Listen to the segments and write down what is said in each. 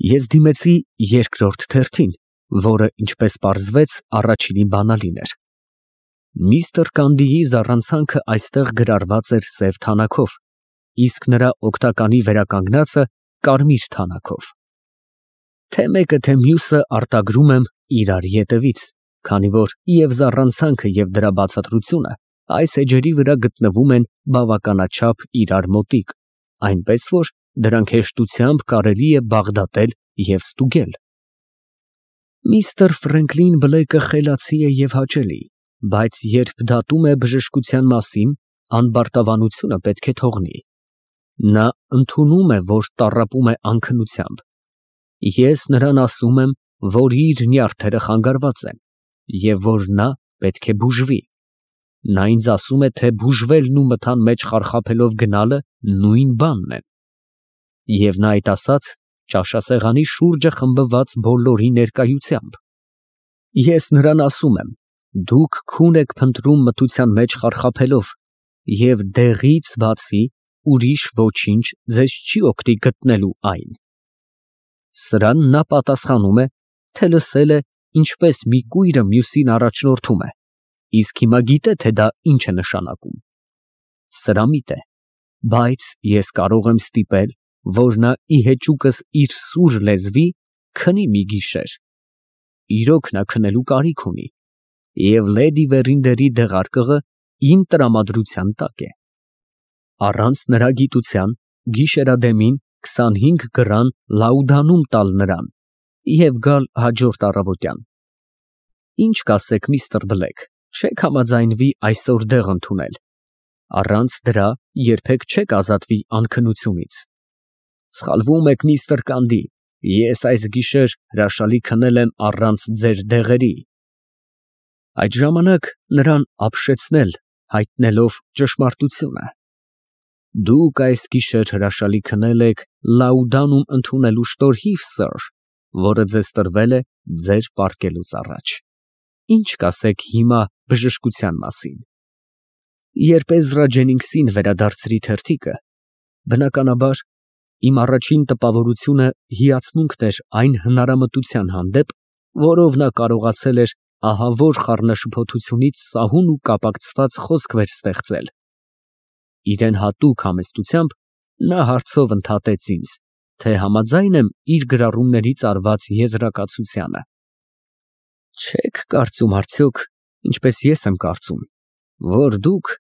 Ես դիմեցի երկրորդ թերթին, որը, ինչպես պարզվեց, առաջինի բանալին էր։ Միսթր Կանդիի զառանցանքը այստեղ գրառված էր սև թանաքով, իսկ նրա օգնականի վերականգնածը կարմիր թանաքով։ Թե մեկը, թե մյուսը արտագրում եմ իրար ետևից, քանի որ և զառանցանքը և դրա բացատրությունը այս էջերի վրա գտնվում են բավականաչափ իրար մոտիկ, այնպես որ դրանք հեշտությամբ կարելի է բաղդատել և ստուգել։ Միսթր Ֆրենկլին Բլեյկը խելացի է և հաճելի, բայց երբ դատում է բժշկության մասին, անբարտավանությունը պետք է թողնի։ Նա ընդունում է, որ տառապում է անքնությամբ։ Ես նրան ասում եմ, որ իր նյարդերը խանգարված են, և որ նա պետք է բուժվի։ Նա ինձ ասում է, թե բուժվելն ու մթան մեջ խարխափելով գնալը նույն բանն են։ Եվ նա այդ ասաց ճաշասեղանի շուրջը խմբված բոլորի ներկայությամբ։ Ես նրան ասում եմ. դուք քուն եք փնտրում մթության մեջ խարխափելով, և դեղից բացի ուրիշ ոչինչ ձեզ չի օգնի գտնելու այն։ Սրան նա պատասխանում է, թե լսել է, ինչպես մի կույրը մյուսին առաջնորդում է, իսկ հիմա գիտե, թե դա ինչ է նշանակում։ Սրամիտ է, բայց ես կարող եմ ստիպել, որ նա ի հեճուկս իր սուր լեզվի քնի մի գիշեր։ Իրոք նա քնելու կարիք ունի, և լեդի Վերինդերի դեղարկղը իմ տրամադրության տակ է։ Առանց նրա գիտության գիշերադեմին 25 գրան լաուդանում տալ նրան և գալ հաջորդ առավոտյան։ Ինչ կասեք, միստր Բլեկ, չե՞ք համաձայնվի այսօր դեղ ընդունել։ Առանց դրա երբեք չեք ազատվի անքնությունից։ Սխալվում եք, միստր Կանդի, ես այս գիշեր հրաշալի քնել եմ առանց ձեր դեղերի։ Այդ ժամանակ նրան ապշեցնել, հայտնելով ճշմարտությունը։ Դուք այս գիշեր հրաշալի քնել եք լաուդանում ընդունելու շնորհիվ, սըր, որը ձեզ տրվել է ձեր պառկելուց առաջ։ Ինչ կասեք հիմա բժշկության մասին։ Երբ Էզրա Ջենինգսին վերադարձրի թերթիկը, բնականաբար, իմ առաջին տպավորությունը հիացմունքն էր այն հնարամտության հանդեպ, որով նա կարողացել էր ահավոր խառնաշփոթությունից սահուն ու կապակցված խոսքեր ստեղծել։ Իրան հատուկ համեստությամբ նա հարցով ընդհատեց ինձ, թե համաձայն եմ իր գրառումներից արված եզրակացությանը։ Չե՞ք կարծում արդյոք, ինչպես ես եմ կարծում, որ դուք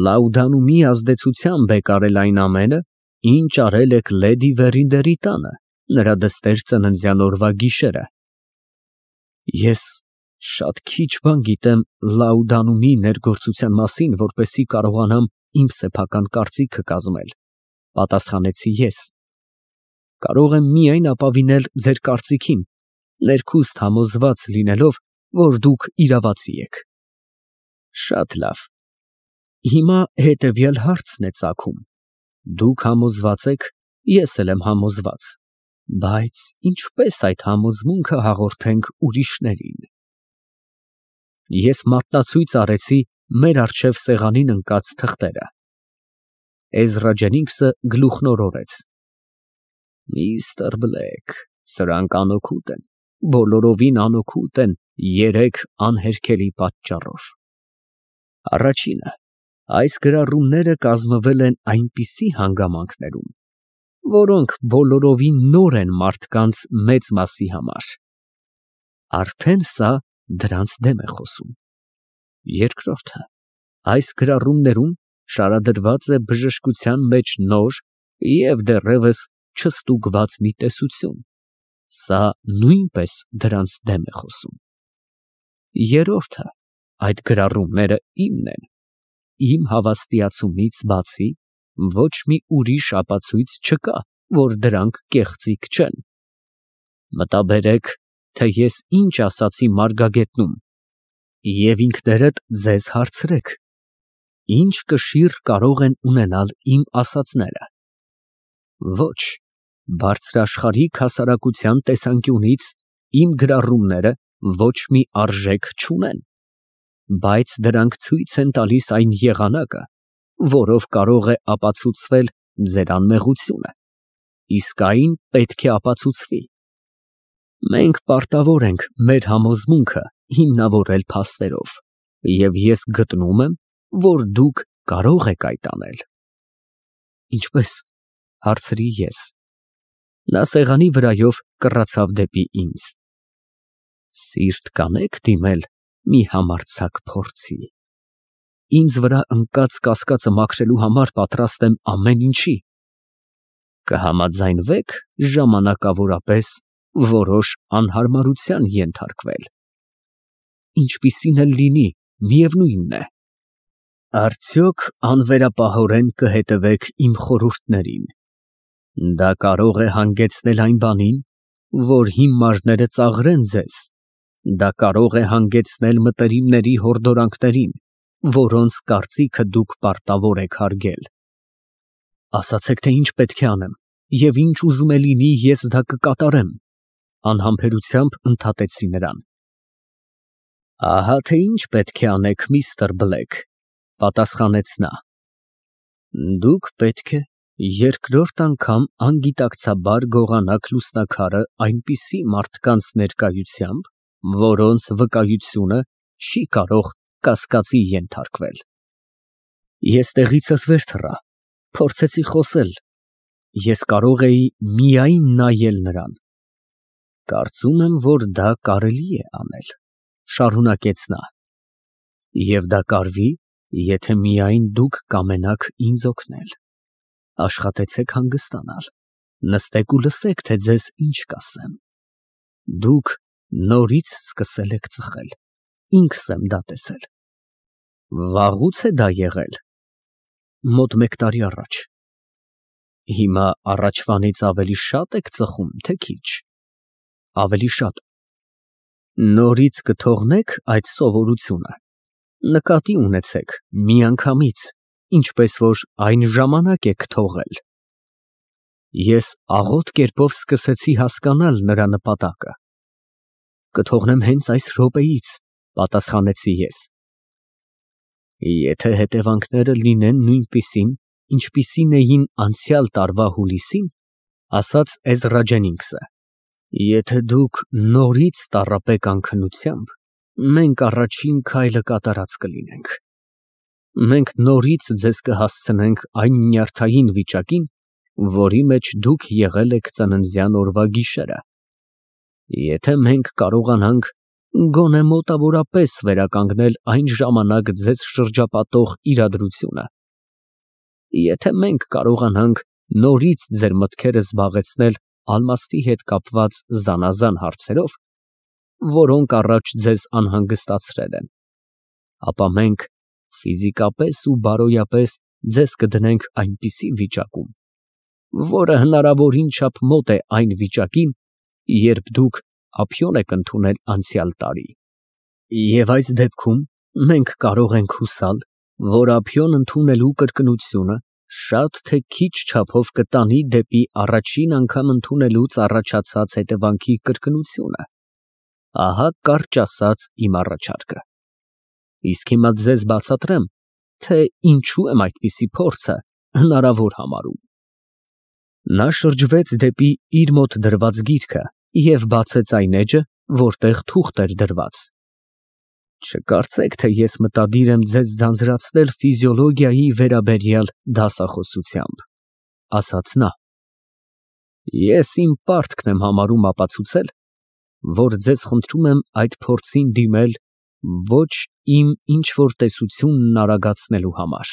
լաուդանումի ազդեցությամբ եք արել այն ամենը, ինչ արել եք լեդի Վերինդերի տանը նրա դստեր ծննդյան օրվա գիշերը։ Ես շատ քիչ բան գիտեմ լաուդանումի ներգործության մասին, որպեսզի կարողանամ իմ սեփական կարծիքը կազմել, պատասխանեցի ես։ Կարող եմ միայն ապավինել ձեր կարծիքին, ներքուստ համոզված լինելով, որ դուք իրավացի եք։ Շատ լավ։ Հիմա հետևյալ հարցն է ծագում. դուք համոզված եք, ես էլ եմ համոզված, բայց ինչպես այդ համոզմունքը հաղորդենք ուրիշներին։ Ես մատնացույց արեցի մեր առջև սեղանին ընկած թղթերը։ Էզրա Ջենինգսը գլուխնորորեց. Միստր Բլեկ, սրանք անօգուտ են, բոլորովին անօգուտ են երեք անհերքելի պատճառով։ Առաջինը, այս գրառումները կազմվել են այնպիսի հանգամանքներում, որոնք բոլորովին նոր են մարդկանց մեծ մասի համար։ Արդեն սա դրանց դեմ է խոսում։ Երկրորդը, այս գրառումներում շարադրված է բժշկության մեջ նոր և դեռևս չստուգված մի տեսություն։ Սա նույնպես դրանց դեմ է խոսում։ Երրորդը, այդ գրառումները իմն են։ Իմ հավաստիացումից բացի ոչ մի ուրիշ ապացույց չկա, որ դրանք կեղծիք չեն։ Մտաբերեք, թե ես ինչ ասացի Մարգագետնում, և ինքներդ ձեզ հարցրեք. ինչ կշիռ կարող են ունենալ իմ ասածները։ Ոչ, բարձրաշխարհիկ հասարակության տեսանկյունից իմ գրառումները ոչ մի արժեք չունեն, բայց դրանք ցույց են տալիս այն եղանակը, որով կարող է ապացուցվել ձեր անմեղությունը, իսկ այն պետք է ապացուցվի։ Մենք պարտավոր ենք մեր համոզմունքը հիմնավորել փաստերով, և ես գտնում եմ, որ դուք կարող եք այդ անել։ Ինչպե՞ս, հարցրի ես։ Նա սեղանի վրայով կռացավ դեպի ինձ։ Սիրտ կանեք դիմել մի համարձակ փորձի։ Ինձ վրա ընկած կասկածը մաքրելու համար պատրաստ եմ ամեն ինչի։ Կհամաձայնվե՞ք ժամանակավորապես որոշ անհարմարության ենթարկվել։ Ինչպիսին էլ լինի, միևնույնն է։ Արդյոք անվերապահորեն կհետևեք իմ խորհուրդներին։ Դա կարող է հանգեցնել այն բանին, որ հիմարները ծաղրեն ձեզ։ Դա կարող է հանգեցնել մտերիմների հորդորանքներին, որոնց կարծիքը դուք պարտավոր եք հարգել։ Ասացեք, թե ինչ պետք է անեմ, և ինչ ուզում է լինի, ես դա կկատարեմ, անհամբերությամբ ընդհատեցի նրան։ Ահա թե ինչ պետք է անեք, միստր Բլեք, պատասխանեց նա։ Դուք պետք է երկրորդ անգամ անգիտակցաբար գողանաք լուսնաքարը այնպիսի մարդկանց ներկայությամբ, որոնց վկայությունը չի կարող կասկածի ենթարկվել։ Ես տեղիցս վեր թռա, փորձեցի խոսել, ես կարող էի միայն նայել նրան։ Կարծում եմ, որ դա կարելի է անել, շարունակեց նա, և դա կարվի, եթե միայն դուք կամենաք ինձ օգնել։ Աշխատեցեք հանգստանալ, նստեք ու լսեք, թե ձեզ ինչ կասեմ։ Դուք նորից սկսել եք ծխել, ինքս եմ դա տեսել։ Վաղուց է դա եղել։ Մոտ 1 տարի առաջ։ Հիմա առաջվանից ավելի շատ եք ծխում, թե քիչ։ Ավելի շատ։ Նորից կթողնեք այդ սովորությունը։ Նկատի ունեցեք միանգամից, ինչպես որ այն ժամանակ եք թողել։ Ես աղոտ կերպով սկսեցի հասկանալ նրա նպատակը։ Կթողնեմ հենց այս րոպեից, պատասխանեցի ես։ Եթե հետևանքները լինեն նույնպիսին, ինչպիսին էին անցյալ տարվա հուլիսին, ասաց Էզրա Ջենինգսը, եթե դուք նորից տառապեք անքնությամբ, մենք առաջին քայլը կատարած կլինենք։ Մենք նորից ձեզ կհասցնենք այն նյարդային վիճակին, որի մեջ դուք եղել եք ծննդյան օրվա գիշերը։ Եթե մենք կարողանանք գոնե մոտավորապես վերականգնել այն ժամանակ ձեզ շրջապատող իրադրությունը, եթե մենք կարողանանք նորից ձեր մտքերը զբաղեցնել ալմաստի հետ կապված զանազան հարցերով, որոնք առաջ ձեզ անհանգստացրել են, ապա մենք ֆիզիկապես ու բարոյապես ձեզ կդնենք այնպիսի վիճակում, որը հնարավորին չափ մոտ է այն վիճակին, երբ դուք ափիոն եք ընդունել անցյալ տարի։ Եվ այս դեպքում մենք կարող ենք հուսալ, որ ափիոն ընդունելու կրկնությունը շատ թե քիչ չափով կտանի դեպի առաջին անգամ ընդունելուց առաջացած հետևանքի կրկնությունը։ Ահա կարճ ասած իմ առաջարկը։ Իսկ հիմա ձեզ բացատրեմ, թե ինչու եմ այդպիսի փորձը հնարավոր համարում։ Նա շրջվեց դեպի իր մոտ դրված գիրքը և բացեց այն էջը, որտեղ թուղթ էր դրված։ Չկարծեք, թե ես մտադիր եմ ձեզ ձանձրացնել ֆիզիոլոգիայի վերաբերյալ դասախոսությամբ, ասաց նա։ Ես իմ պարտքն եմ համարում ապացուցել, որ ձեզ խնդրում եմ այդ փորձին դիմել ոչ իմ ինչ-որ տեսությունն արագացնելու համար։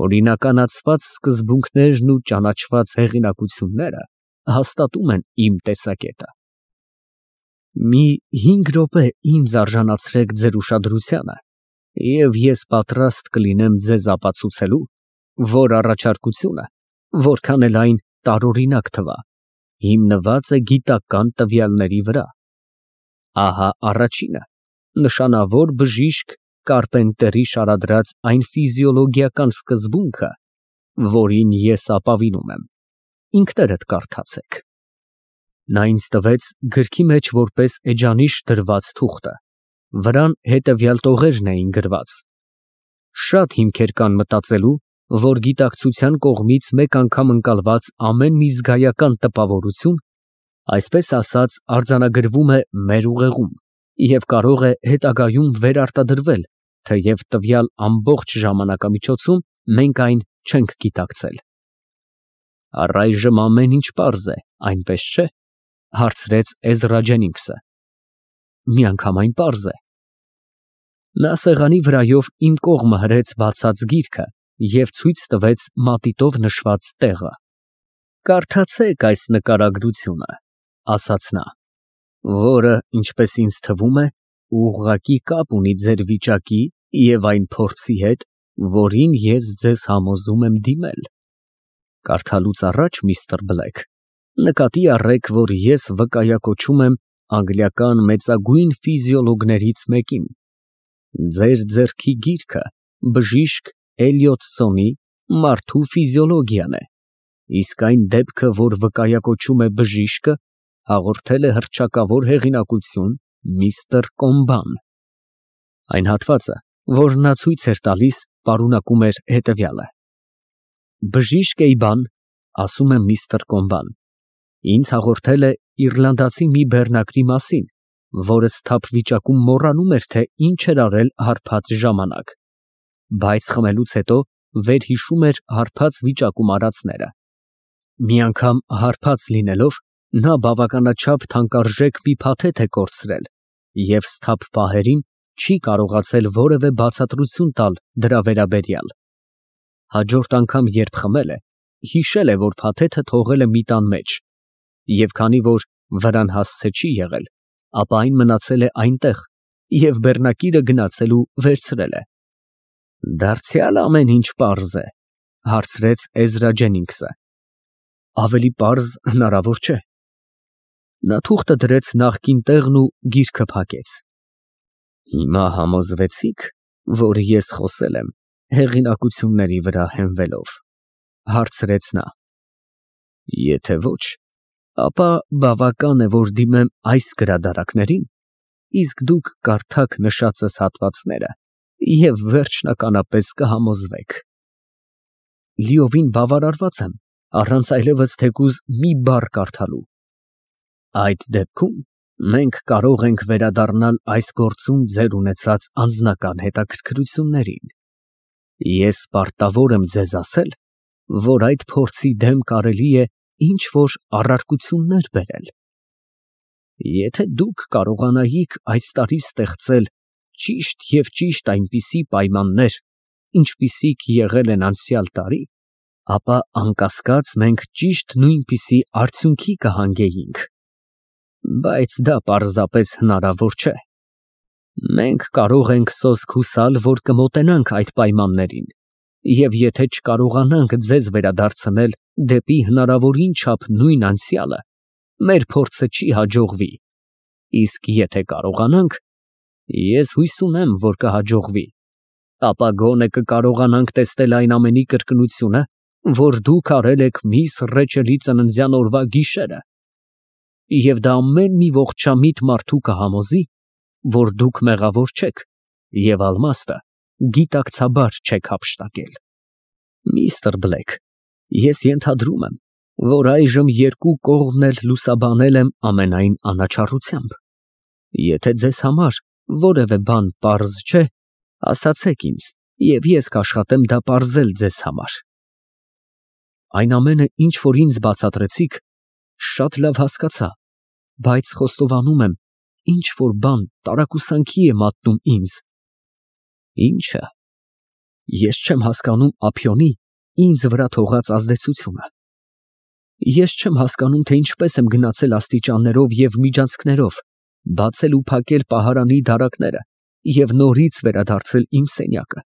Օրինականացված սկզբունքներն ու ճանաչված հեղինակությունները հաստատում են իմ տեսակետը։ Մի 5 րոպե ինձ արժանացրեք ձեր ուշադրությանը, և ես պատրաստ կլինեմ ձեզ ապացուցելու, որ առաջարկությունը, որքան էլ այն տարօրինակ թվա, հիմնված է գիտական տվյալների վրա։ Ահա առաջինը, նշանավոր բժիշկ Կարպենտերի շարադրած այն ֆիզիոլոգիական սկզբունքը, որին ես ապավինում եմ, ինքներդ կարդացեք։ Նա ինձ տվեց գրքի մեջ որպես էջանիշ դրված թուղթը, վրան հետևյալ տողերն էին գրված. Շատ հիմքեր կան մտածելու, որ գիտակցության կողմից մեկ անգամ ընկալված ամեն մի զգայական տպավորություն Այսպես ասած, արձանագրվում է մեր ուղեղում և կարող է հետագայում վերարտադրվել, թեև տվյալ ամբողջ ժամանակամիջոցում մենք այն չենք գիտակցել։ Առայժմ ամեն ինչ պարզ է, այնպես չէ՞, հարցրեց Էզրա Ջենինգսը։ Միանգամայն պարզ է։ Նա սեղանի վրայով իմ կողմը հրեց բացած գիրքը և ցույց տվեց մատիտով նշված տեղը։ Կարդացեք այս նկարագրությունը, ասաց նա, որը, ինչպես ինձ թվում է, ուղղակի կապ ունի ձեր վիճակի և այն փորձի հետ, որին ես ձեզ համոզում եմ դիմել։ Կարդալուց առաջ, միստր Բլեք, նկատի առեք, որ ես վկայակոչում եմ անգլիական մեծագույն ֆիզիոլոգներից մեկին։ Ձեր ձեռքի գիրքը բժիշկ Էլիոտսոնի «Մարդու ֆիզիոլոգիան» է, իսկ այն դեպքը, որ վկայակոչում է բժիշկը, հաղորդել է հռչակավոր հեղինակություն միստր Կոմբան։ Այն հատվածը, որ նա ցույց էր տալիս, պարունակում էր հետևյալը. Բժիշկ Էյբան, ասում է միստր Կոմբան, ինձ հաղորդել է իռլանդացի մի բեռնակրի մասին, որը սթափ վիճակում մոռանում էր, թե ինչ էր արել հարբած ժամանակ, բայց խմելուց հետո վերհիշում էր հարբած վիճակում արածները։ Մի անգամ հարբած լինելով, նա բավականաչափ թանկարժեք մի փաթեթ է կորցրել և սթափ պահերին չի կարողացել որևէ բացատրություն տալ դրա վերաբերյալ։ Հաջորդ անգամ, երբ խմել է, հիշել է, որ փաթեթը թողել է մի տան մեջ, և քանի որ վրան հասցե չի եղել, ապա այն մնացել է այնտեղ և բեռնակիրը գնացել ու վերցրել է։ Դարձյալ ամեն ինչ պարզ է, հարցրեց Էզրա Ջենինգսը։ Ավելի պարզ հնարավոր չէ։ Նա թուղթը դրեց նախկին տեղն ու գիրքը փակեց։ Հիմա համոզվեցի՞ք, որ ես խոսել եմ հեղինակությունների վրա հենվելով, հարցրեց նա։ Եթե ոչ, ապա բավական է, որ դիմեմ այս գրադարակներին, իսկ դուք կարդաք նշածս հատվածները և վերջնականապես կհամոզվեք։ Լիովին բավարարված եմ, առանց այլևս թեկուզ մի բառ կարդալու։ Այդ դեպքում մենք կարող ենք վերադառնալ այս գործում ձեր ունեցած անձնական հետաքրքրություններին։ Ես պարտավոր եմ ձեզ ասել, որ այդ փորձի դեմ կարելի է ինչ-որ առարկություններ բերել։ Եթե դուք կարողանայիք այս տարի ստեղծել ճիշտ և ճիշտ այնպիսի պայմաններ, ինչպիսիք եղել են անցյալ տարի, ապա անկասկած մենք ճիշտ նույնպիսի արդյունքի կհանգեյինք։ Բայց դա պարզապես հնարավոր չէ։ Մենք կարող ենք սոսկ հուսալ, որ կմոտենանք այդ պայմաններին, և եթե չկարողանանք ձեզ վերադարձնել դեպի հնարավորին չափ նույն անցյալը, մեր փորձը չի հաջողվի, իսկ եթե կարողանանք, ես հույս ունեմ, որ կհաջողվի, ապա գոնե կկարողանանք տեսնել այն ամենի կրկնությունը, որ դուք արել եք միս Ռեչելի ծննդյան օրվա գիշերը, և դա ամեն մի ողջամիտ մարդու կհամոզի, որ դուք մեղավոր չեք և ալմաստը գիտակցաբար չեք հափշտակել։ Միստր Բլեք, ես ենթադրում եմ, որ այժմ երկու կողմն էլ լուսաբանել եմ ամենայն անաչառությամբ։ Եթե ձեզ համար որևէ բան պարզ չէ, ասացեք ինձ, և ես կաշխատեմ դա պարզել ձեզ համար։ Այն ամենը, ինչ որ ինձ բացատրեցիք, շատ լավ հասկացա, բայց խոստովանում եմ, ինչ որ բան տարակուսանքի է մատնում ինձ։ Ի՞նչը։ Ես չեմ հասկանում ափիոնի ինձ վրա թողած ազդեցությունը։ Ես չեմ հասկանում, թե ինչպես եմ գնացել աստիճաններով և միջանցքներով, բացել ու փակել պահարանի դարակները և նորից վերադարձել իմ սենյակը։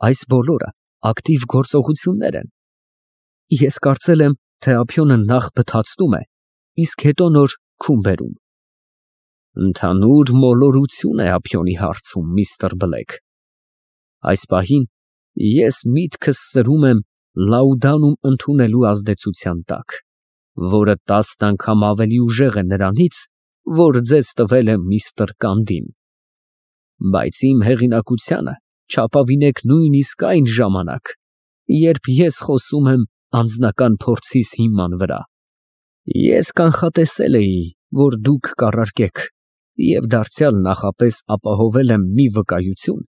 Այս բոլորը ակտիվ գործողություններ են։ Ես կարծել եմ, թե ափիոնը նախ բթացնում է, իսկ հետո նոր քուն բերում։ Ընդհանուր մոլորություն է ափիոնի հարցում, միստր Բլեք։ Այս պահին ես միտքս սրում եմ լաուդանում ընդունելու ազդեցության տակ, որը 10 անգամ ավելի ուժեղ է նրանից, որ ձեզ տվել է միստր Կանդին։ Բայց իմ հեղինակությանը չապավինեք նույնիսկ այն ժամանակ, երբ ես խոսում եմ անձնական փորձիս հիման վրա, Ես կանխատեսել էի, որ դուք կառարկեք, և դարձյալ նախապես ապահովել եմ մի վկայություն,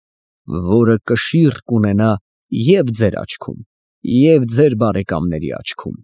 որը կշիռ կունենա և ձեր աչքում, և ձեր բարեկամների աչքում։